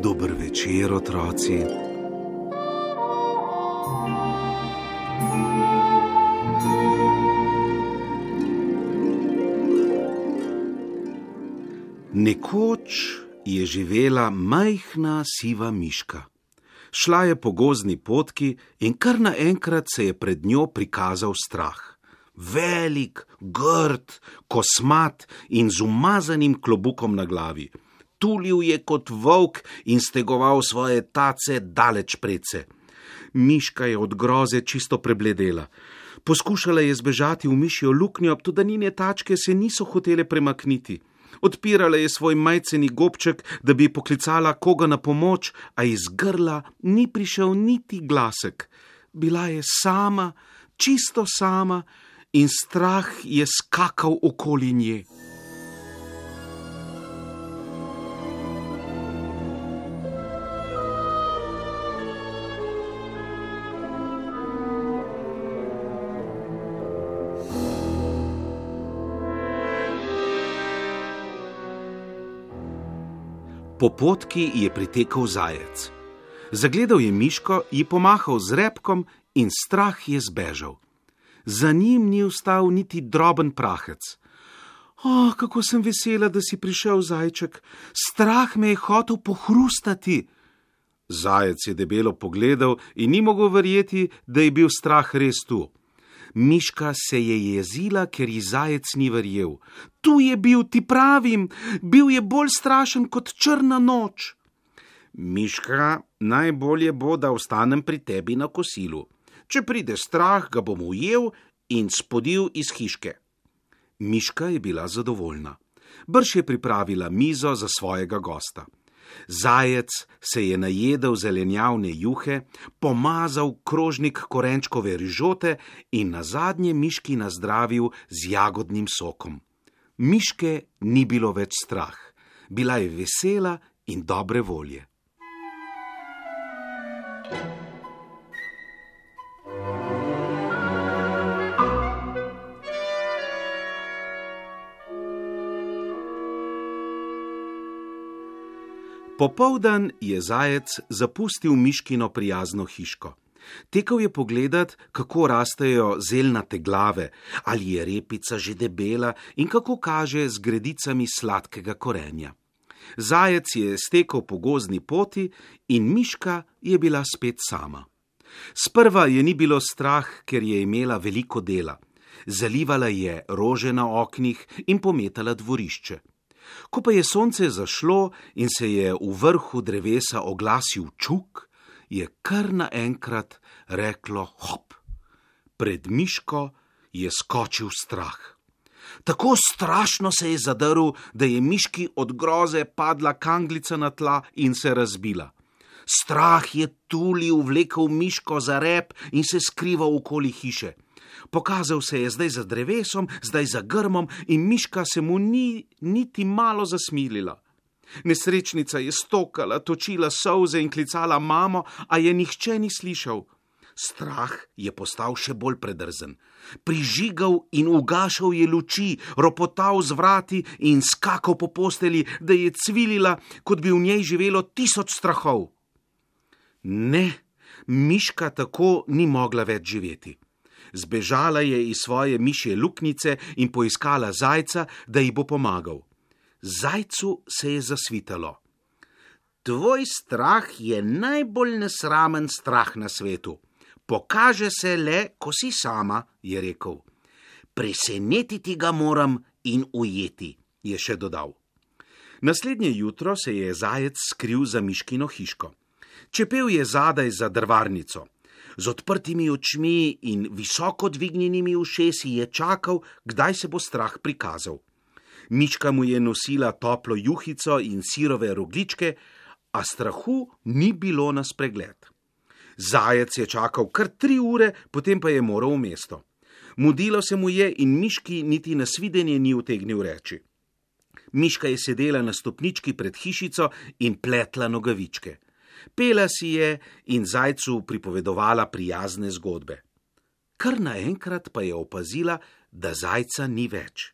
Dober večer, otroci. Nekoč je živela majhna siva miška. Šla je po gozdni potki in kar naenkrat se je pred njo prikazal strah. Velik, grd, kosmat in z umazanim klobukom na glavi. Tulil je kot volk in stegoval svoje tace daleč predse. Miška je od groze čisto prebledela. Poskušala je zbežati v mišjo luknjo, toda njene tačke se niso hotele premakniti. Odpirala je svoj majceni gobček, da bi poklicala koga na pomoč, a iz grla ni prišel niti glasek. Bila je sama, čisto sama in strah je skakal okoli nje. Po potki je pritekel zajec. Zagledal je miško, ji pomahal z repkom in strah je zbežal. Za njim ni ostal niti droben prahec. Kako sem vesela, da si prišel, zajček. Strah me je hotel pohrustati. Zajec je debelo pogledal in ni mogel verjeti, da je bil strah res tu. Miška se je jezila, ker ji zajec ni verjel. Tu je bil, ti pravim, bil je bolj strašen kot črna noč. Miška, najbolje bo, da ostanem pri tebi na kosilu. Če pride strah, ga bom ujel in spodil iz hiške. Miška je bila zadovoljna. Brž je pripravila mizo za svojega gosta. Zajec se je najedel zelenjavne juhe, pomazal krožnik korenčkove rižote in nazadnje miški nazdravil z jagodnim sokom. Miške ni bilo več strah. Bila je vesela in dobre volje. Popoldan je zajec zapustil miškino prijazno hiško. Tekel je pogledat, kako rastejo zelnate glave, ali je repica že debela in kako kaže z gredicami sladkega korenja. Zajec je stekel po gozdni poti in miška je bila spet sama. Sprva je ni bilo strah, ker je imela veliko dela. Zalivala je rože na oknih in pometala dvorišče. Ko pa je sonce zašlo in se je v vrhu drevesa oglasil čuk, je kar naenkrat reklo hop. Pred miško je skočil strah. Tako strašno se je zadrl, da je miški od groze padla kanglica na tla in se razbila. Strah je tulil, vlekel miško za rep in se skrival okoli hiše. Pokazal se je zdaj za drevesom, zdaj za grmom in miška se mu ni niti malo zasmilila. Nesrečnica je stokala, točila solze in klicala mamo, a je nihče ni slišal. Strah je postal še bolj predrzen. Prižigal in ugašal je luči, ropotal z vrati in skakal po posteli, da je cvilila, kot bi v njej živelo 1000 strahov. Ne, miška tako ni mogla več živeti. Zbežala je iz svoje mišje luknjice in poiskala zajca, da ji bo pomagal. Zajcu se je zasvitalo. Tvoj strah je najbolj nesramen strah na svetu. Pokaže se le, ko si sama, je rekel. Presenetiti ga moram in ujeti, je še dodal. Naslednje jutro se je zajec skril za miškino hiško. Čepel je zadaj za drvarnico. Z odprtimi očmi in visoko dvignjenimi ušesi je čakal, kdaj se bo strah prikazal. Miška mu je nosila toplo juhico in sirove rogljičke, a strahu ni bilo na spregled. Zajec je čakal kar 3 ure, potem pa je moral v mesto. Mudilo se mu je in miški niti na svidenje ni utegnil reči. Miška je sedela na stopnički pred hišico in pletla nogavičke. Pela si je in zajcu pripovedovala prijazne zgodbe. Kar naenkrat pa je opazila, da zajca ni več.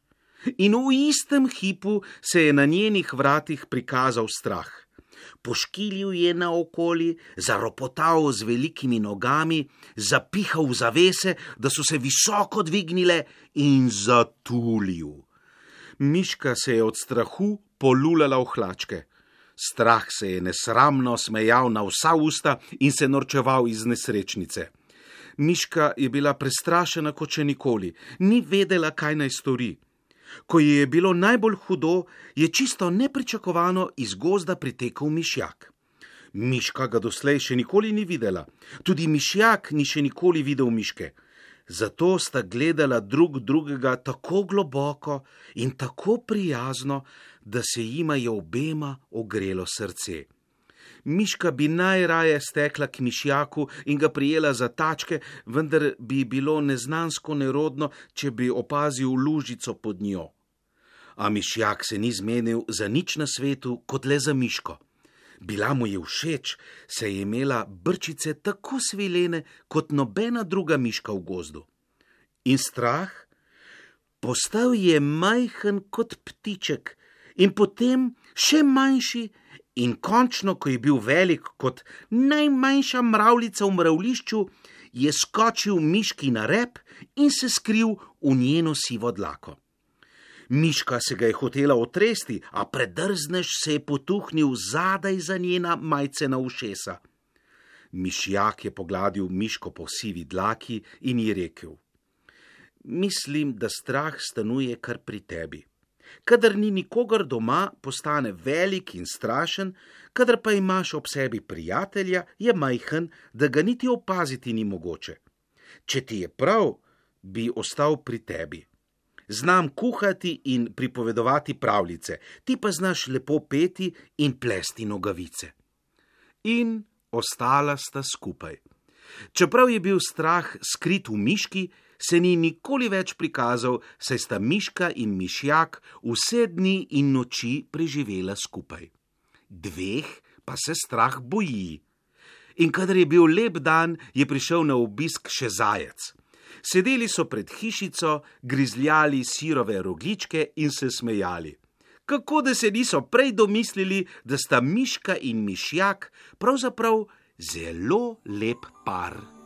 In v istem hipu se je na njenih vratih prikazal strah. Poškilil je naokoli, zaropotal z velikimi nogami, zapihal v zavese, da so se visoko dvignile, in zatulil. Miška se je od strahu polulala v hlačke. Strah se je nesramno smejal na vsa usta in se norčeval iz nesrečnice. Miška je bila prestrašena kot še nikoli, ni vedela, kaj naj stori. Ko ji je bilo najbolj hudo, je čisto nepričakovano iz gozda pritekel mišjak. Miška ga doslej še nikoli ni videla, tudi mišjak ni še nikoli videl miške. Zato sta gledala drug drugega tako globoko in tako prijazno, da se jima je obema ogrelo srce. Miška bi najraje stekla k mišjaku in ga prijela za tačke, vendar bi bilo neznansko nerodno, če bi opazil lužico pod njo. A mišjak se ni zmenil za nič na svetu, kot le za miško. Bila mu je všeč, se je imela brčice tako svilene, kot nobena druga miška v gozdu. In strah? Postal je majhen kot ptiček in potem še manjši, in končno, ko je bil velik kot najmanjša mravljica v mravlišču, je skočil miški na rep in se skril v njeno sivo dlako. Miška se ga je hotela otresti, a predrznež se je potuhnil zadaj za njena majcena ušesa. Mišjak je pogladil miško po sivi dlaki in ji rekel: Mislim, da strah stanuje kar pri tebi. Kadar ni nikogar doma, postane velik in strašen, kadar pa imaš ob sebi prijatelja, je majhen, da ga niti opaziti ni mogoče. Če ti je prav, bi ostal pri tebi. Znam kuhati in pripovedovati pravljice, ti pa znaš lepo peti in plesti nogavice. In ostala sta skupaj. Čeprav je bil strah skrit v miški, se ni nikoli več prikazal, saj sta miška in mišjak vse dni in noči preživela skupaj. 2 pa se strah boji. In kadar je bil lep dan, je prišel na obisk še zajec. Sedeli so pred hišico, grizljali sirove rogljičke in se smejali. Kako da se niso prej domislili, da sta miška in mišjak pravzaprav zelo lep par.